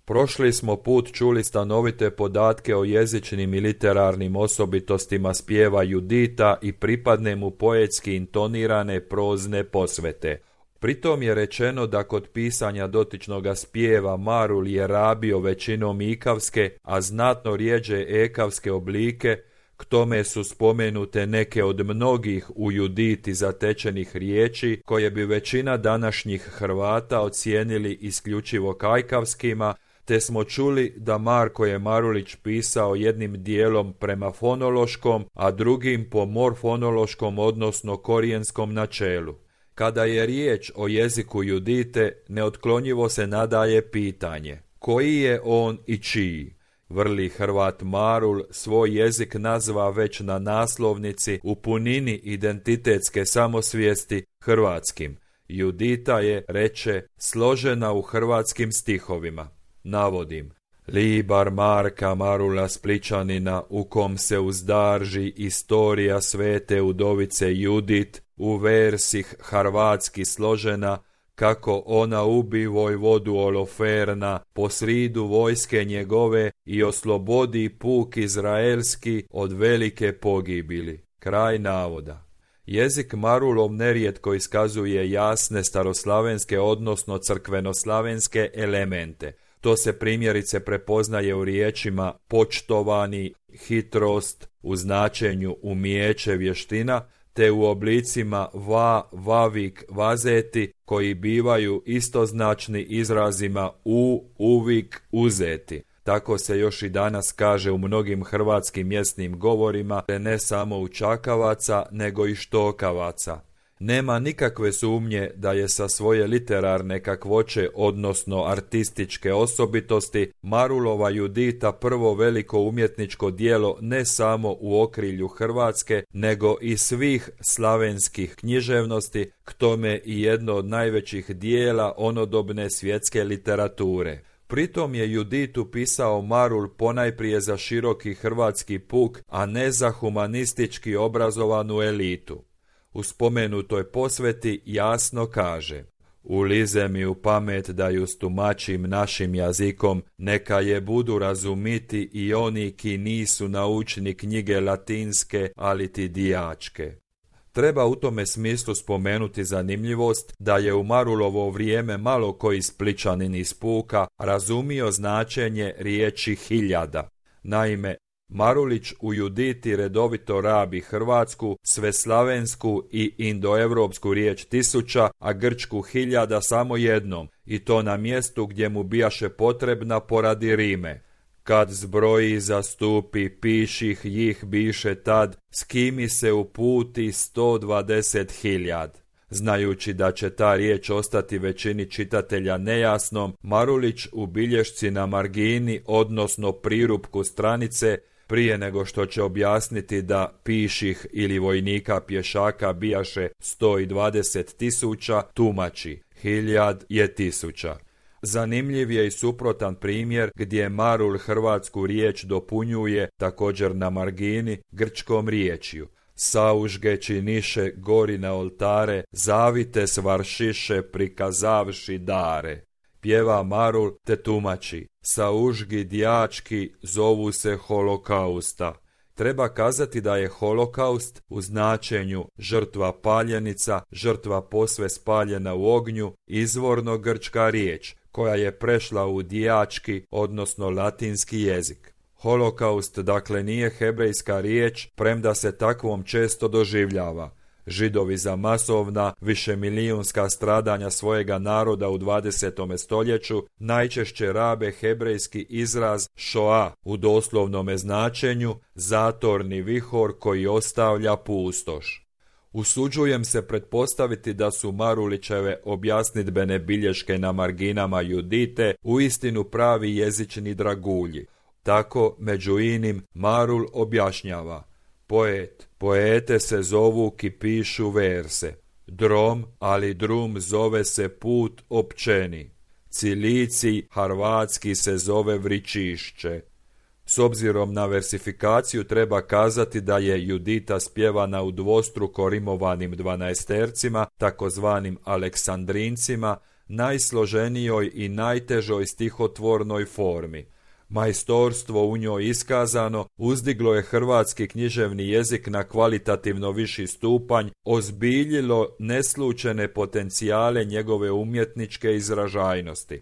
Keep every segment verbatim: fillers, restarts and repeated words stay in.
Prošli smo put čuli stanovite podatke o jezičnim i literarnim osobitostima spjeva Judita i pripadne mu poetski intonirane prozne posvete. Pritom je rečeno da kod pisanja dotičnoga spjeva Marul je rabio većinom ikavske, a znatno rijeđe ekavske oblike. K tome su spomenute neke od mnogih u Juditi zatečenih riječi koje bi većina današnjih Hrvata ocijenili isključivo kajkavskima, te smo čuli da Marko je Marulić pisao jednim dijelom prema fonološkom, a drugim po morfonološkom odnosno korijenskom načelu. Kada je riječ o jeziku Judite, neotklonjivo se nadaje pitanje: koji je on i čiji? Vrli Hrvat Marul svoj jezik nazva već na naslovnici u punini identitetske samosvijesti hrvatskim. Judita je, reče, složena u hrvatskim stihovima. Navodim: Libar Marka Marula Spličanina, u kom se uzdarži istorija svete udovice Judit, u versih hrvatski složena, kako ona ubi vojvodu Oloferna po sridu vojske njegove i oslobodi puk izraelski od velike pogibili. Kraj navoda. Jezik Marulov nerijetko iskazuje jasne staroslavenske odnosno crkvenoslavenske elemente. To se primjerice prepoznaje u riječima počtovani, hitrost, u značenju umijeće, vještina, te u oblicima va, vavik, vazeti, koji bivaju istoznačni izrazima u, uvik, uzeti. Tako se još i danas kaže u mnogim hrvatskim mjesnim govorima, te ne samo u čakavaca, nego i štokavaca. Nema nikakve sumnje da je sa svoje literarne kakvoće, odnosno artističke osobitosti, Marulova Judita prvo veliko umjetničko djelo ne samo u okrilju Hrvatske, nego i svih slavenskih književnosti, k tome i jedno od najvećih dijela onodobne svjetske literature. Pritom je Juditu pisao Marul ponajprije za široki hrvatski puk, a ne za humanistički obrazovanu elitu. U spomenutoj posveti jasno kaže: ulize mi u pamet da ju stumačim našim jazikom, neka je budu razumiti i oni ki nisu naučni knjige latinske, ali ti dijačke. Treba u tome smislu spomenuti zanimljivost da je u Marulovo vrijeme malo koji Spličanin iz puka razumio značenje riječi hiljada. Naime, Marulić u Juditi redovito rabi hrvatsku, sveslavensku i indoevropsku riječ tisuća, a grčku hiljada samo jednom, i to na mjestu gdje mu bijaše potrebna poradi rime. Kad zbroji zastupi piših jih biše tad, s kimi se uputi sto dvadeset hiljad. Znajući da će ta riječ ostati većini čitatelja nejasnom, Marulić u bilješci na margini, odnosno prirupku stranice, prije nego što će objasniti da piših ili vojnika pješaka bijaše sto dvadeset tisuća, tumači: hiljad je tisuća. Zanimljiv je i suprotan primjer gdje Marul hrvatsku riječ dopunjuje, također na margini, grčkom riječju: saužge činiše gori na oltare, zavite svaršiše prikazavši dare. Pjeva Marul te tumači: saužgi djački zovu se holokausta. Treba kazati da je holokaust u značenju žrtva paljenica, žrtva posve spaljena u ognju, izvorno grčka riječ, koja je prešla u djački, odnosno latinski jezik. Holokaust dakle nije hebrejska riječ, premda se takvom često doživljava. Židovi za masovna, višemilijunska stradanja svojega naroda u dvadesetom stoljeću najčešće rabe hebrejski izraz šoa u doslovnome značenju, zatorni vihor koji ostavlja pustoš. Usuđujem se pretpostaviti da su Marulićeve objasnidbene bilješke na marginama Judite uistinu pravi jezični dragulji. Tako, među inim, Marul objašnjava: poet, poete se zovu ki pišu verse. Drom, ali drum zove se put općeni. Cilici, harvatski se zove vričišće. S obzirom na versifikaciju treba kazati da je Judita spjevana u dvostruko rimovanim dvanaestercima, takozvanim aleksandrincima, najsloženijoj i najtežoj stihotvornoj formi. Majstorstvo u njoj iskazano uzdiglo je hrvatski književni jezik na kvalitativno viši stupanj, ozbiljilo neslučene potencijale njegove umjetničke izražajnosti.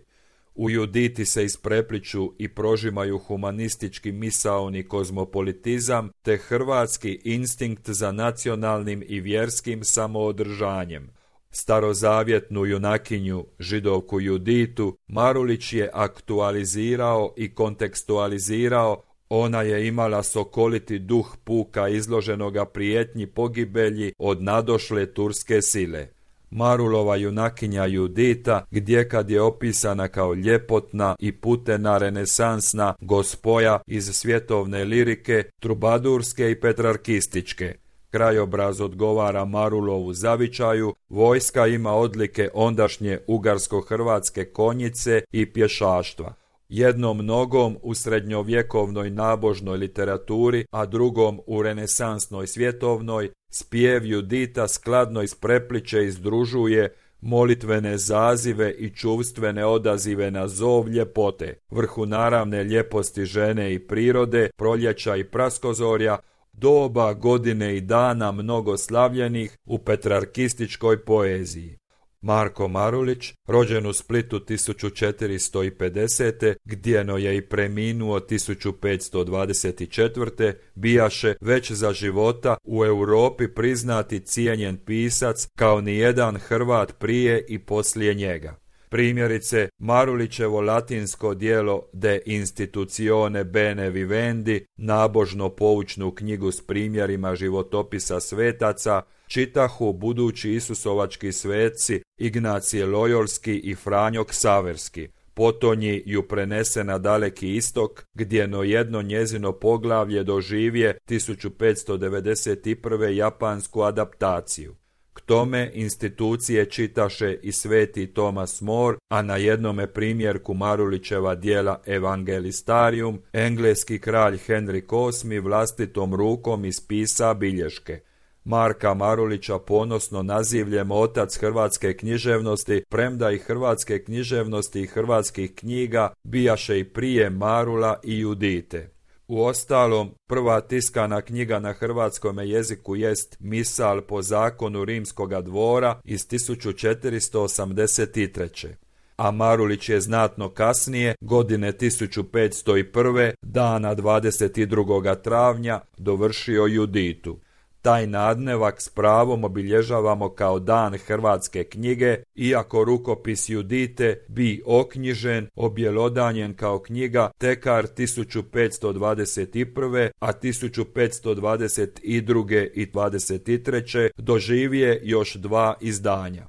U Juditi se isprepliču i prožimaju humanistički misaoni kozmopolitizam te hrvatski instinkt za nacionalnim i vjerskim samoodržanjem. Starozavjetnu junakinju, židovku Juditu, Marulić je aktualizirao i kontekstualizirao. Ona je imala sokoliti duh puka izloženoga prijetnji pogibelji od nadošle turske sile. Marulova junakinja Judita, gdje kad je opisana kao ljepotna i putena renesansna gospoja iz svjetovne lirike, trubadurske i petrarkističke. Krajobraz odgovara Marulovu zavičaju, vojska ima odlike ondašnje ugarsko-hrvatske konjice i pješaštva. Jednom nogom u srednjovjekovnoj nabožnoj literaturi, a drugom u renesansnoj svjetovnoj, spjev Judita skladno isprepliče i združuje molitvene zazive i čuvstvene odazive na zov ljepote, vrhu naravne ljeposti žene i prirode, proljeća i praskozorja, doba, godine i dana mnogo slavljenih u petrarkističkoj poeziji. Marko Marulić, rođen u Splitu tisuću četiristo pedesete. gdjeno je i preminuo tisuću petsto dvadeset četvrte. bijaše već za života u Europi priznati cijenjen pisac kao nijedan Hrvat prije i poslije njega. Primjerice, Marulićevo latinsko djelo De institutione bene vivendi, nabožno poučnu knjigu s primjerima životopisa svetaca, čitahu budući isusovački sveci Ignacije Lojolski i Franjo Ksaverski. Potonji ju prenese na Daleki istok, gdjeno jedno njezino poglavlje doživje tisuću petsto devedeset prve. japansku adaptaciju. K tome institucije čitaše i sveti Thomas More, a na jednome primjerku Marulićeva djela Evangelistarium engleski kralj Henrik osmi vlastitom rukom ispisa bilješke. Marka Marulića ponosno nazivljem otac hrvatske književnosti, premda i hrvatske književnosti i hrvatskih knjiga bijaše i prije Marula i Judite. Uostalom, prva tiskana knjiga na hrvatskome jeziku jest Misal po zakonu rimskoga dvora iz tisuću četiristo osamdeset treće. A Marulić je znatno kasnije, godine tisuću petsto prve. dana dvadeset drugog travnja, dovršio Juditu. Taj nadnevak s pravom obilježavamo kao dan hrvatske knjige, iako rukopis Judite bi oknjižen, objelodanjen kao knjiga tekar tisuću petsto dvadeset prve. a tisuću petsto dvadeset druge. i dvadeset treće. doživje još dva izdanja.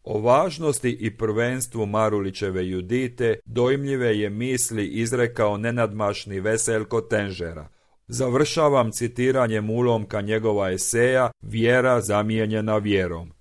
O važnosti i prvenstvu Marulićeve Judite dojmljive je misli izrekao nenadmašni Veselko Tenžera. Završavam citiranjem ulomka njegova eseja Vjera zamijenjena vjerom.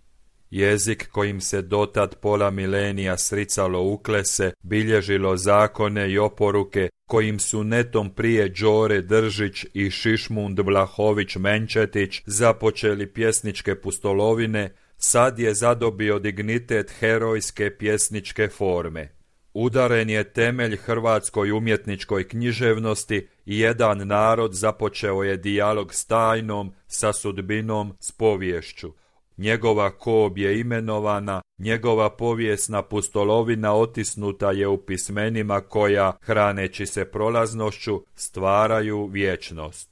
Jezik kojim se dotad pola milenija sricalo uklese, bilježilo zakone i oporuke, kojim su netom prije Đore Držić i Šišmund Vlahović Menčetić započeli pjesničke pustolovine, sad je zadobio dignitet herojske pjesničke forme. Udaren je temelj hrvatskoj umjetničkoj književnosti i jedan narod započeo je dijalog s tajnom, sa sudbinom, s poviješću. Njegova kob je imenovana, njegova povijesna pustolovina otisnuta je u pismenima koja, hraneći se prolaznošću, stvaraju vječnost.